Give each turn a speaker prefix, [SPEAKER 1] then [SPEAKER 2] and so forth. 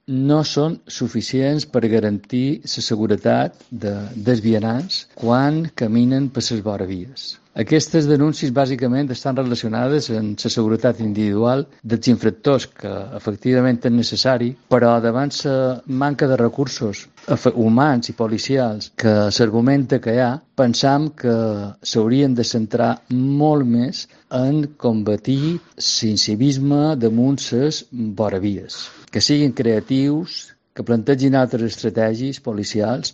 [SPEAKER 1] no són suficients per garantir la seguretat dels vianants quan caminen per les voravies. Aquestes denúncies bàsicament estan relacionades amb la seguretat individual dels infractors, que efectivament és necessari, però davant la manca de recursos humans i policials que s'argumenta que hi ha, pensam que s'haurien de centrar molt més en combatir l'incivisme damunt les voravies, que siguin creatius, que plantegin altres estratègies policials